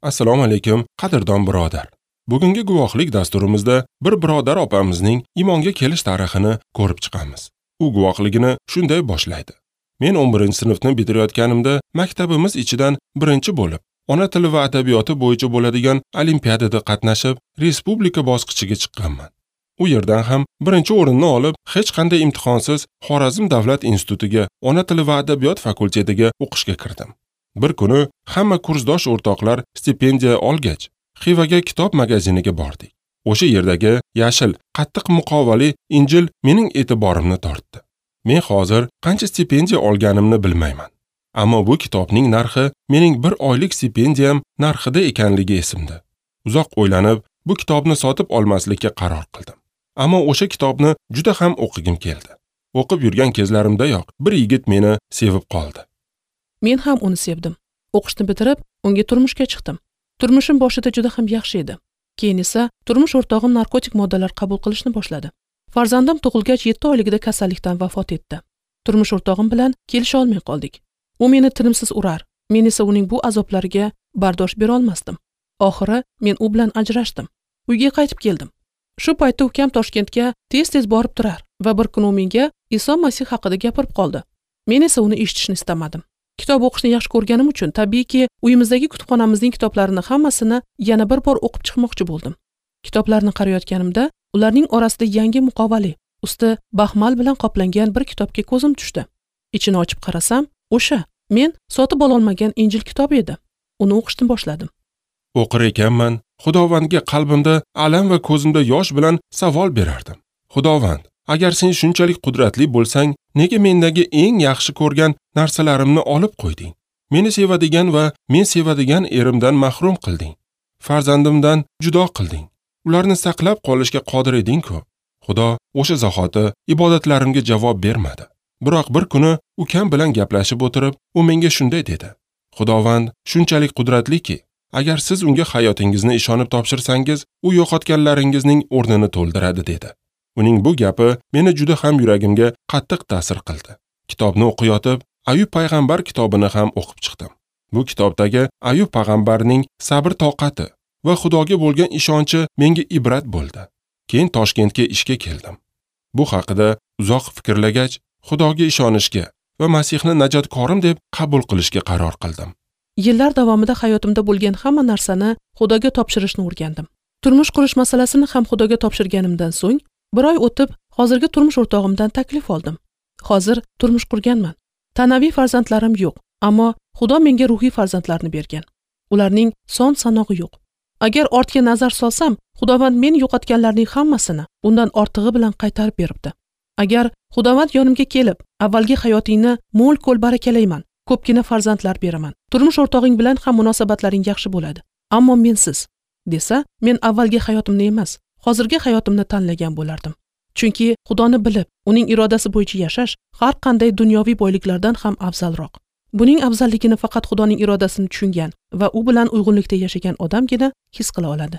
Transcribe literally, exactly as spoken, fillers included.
Assalomu alaykum, qadrdon birodar. Bugungi guvohlik dasturimizda bir birodar opamizning iymonga kelish tarixini ko'rib chiqamiz. U guvohligini shunday boshlaydi. Men o'n birinchi sinfni bitirayotganimda maktabimiz ichidan birinchi bo'lib, ona tili va adabiyoti bo'yicha bo'ladigan olimpiadada qatnashib, respublika bosqichiga chiqqanman. U yerdan ham birinchi o'rinni olib, hech qanday imtihonsiz Xorazm davlat institutiga ona tili va adabiyot fakultetiga o'qishga kirdim. Bir kuni hamma kursdosh o'rtoqlar stipendiya olgach, Xivaga kitob magaziniga bordik. O'sha yerdagi yashil, qattiq muqovali Injil mening e'tiborimni tortdi. Men hozir qancha stipendiya olganimni bilmayman. Ammo bu kitobning narxi mening bir oylik stipendiyam narxida ekanligi esimda. Uzoq o'ylanib, bu kitobni sotib olmaslikka qaror qildim. Ammo o'sha kitobni juda ham o'qigim keldi. O'qib yurgan kezlarimdayoq bir yigit meni sevib qoldi. Men ham uni sevdim. O'qishni bitirib, unga turmushga chiqdim. Turmushim boshida juda ham yaxshi edi. Keyin esa turmush o'rtog'im narkotik moddalar qabul qilishni boshladi. Farzandim tug'ilgach yetti oyligida kasallikdan vafot etdi. Turmush o'rtog'im bilan kelisha olmay qoldik. U meni tinimsiz urar, men esa uning bu azoblariga bardosh bera olmasdim. Oxiri men u bilan ajrashdim. Uyga qaytib keldim. Shu paytda ukam Toshkentga tez-tez borib turar va bir kuni u menga Iso Masih haqida gapirib qoldi. Men esa uni eshitishni istamadim. Kitob o'qishni yaxshi ko'rganim uchun tabiiyki uyimizdagi kutubxonamizning kitoblarini hammasini yana bir bor o'qib chiqmoqchi bo'ldim. Kitoblarni qarayotganimda ularning orasida yangi muqovali, usti baxmal bilan qoplangan bir kitobga ko'zim tushdi. Ichini ochib qarasam, o'sha men sotib ololmagan Injil kitobi edi. Uni o'qishni boshladim. O'qir ekanman, Xudovandga qalbimda alam va ko'zimda yosh bilan savol berardim. Xudovand, agar sen shunchalik qudratli bo'lsang, nega mendagi eng yaxshi ko'rgan narsalarimni olib qo'yding? Meni sevadigan va men sevadigan erimdan mahrum qilding. Farzandimdan judo qilding. Ularni saqlab qolishga qodir eding-ku. Xudo o'sha zahoti ibodatlarimga javob bermadi. Biroq bir kuni ukam bilan gaplashib o'tirib, u menga shunday dedi: Xudovand shunchalik qudratliki, agar siz unga hayotingizni ishonib topshirsangiz, u yo'qotganlaringizning o'rnini to'ldiradi, dedi. Uning bu gapi meni juda ham yuragimga qattiq ta'sir qildi. Kitobni o'qiyotib, Ayub payg'ambar kitobini ham o'qib chiqdim. Bu kitobdagi Ayub payg'ambarning sabr toqati va Xudoga bo'lgan ishonchi menga ibrat bo'ldi. Keyin Toshkentga ishga keldim. Bu haqida uzoq fikrlagach, Xudoga ishonishga va Masihni najotkorim deb qabul qilishga qaror qildim. Yillar davomida hayotimda bo'lgan hamma narsani Xudoga topshirishni o'rgandim. Turmush qurish masalasini ham Xudoga topshirganimdan so'ng, bir oy o'tib, hozirgi turmush o'rtog'imdan taklif oldim. Hozir turmush qurganman. Tanaviy farzandlarim yo'q, ammo Xudo menga ruhiy farzandlarni bergan. Ularning son sanog'i yo'q. Agar ortga nazar solsam, Xudovand men yo'qotganlarning hammasini undan ortig'i bilan qaytarib beribdi. Agar Xudovand yonimga kelib, avvalgi hayotingni mo'l-ko'l barakalayman, ko'pgina farzandlar beraman, turmush o'rtog'ing bilan ham munosabatlaring yaxshi bo'ladi, ammo mensiz, desa, men avvalgi hayotimni emas, hozirgi hayotimni tanlagan bo'lardim. Chunki Xudoni bilib, uning irodasi bo'yicha yashash har qanday dunyoviy boyliklardan ham afzalroq. Buning afzalligini faqat Xudoning irodasini tushungan va u bilan uyg'unlikda yashagan odamgina his qila oladi.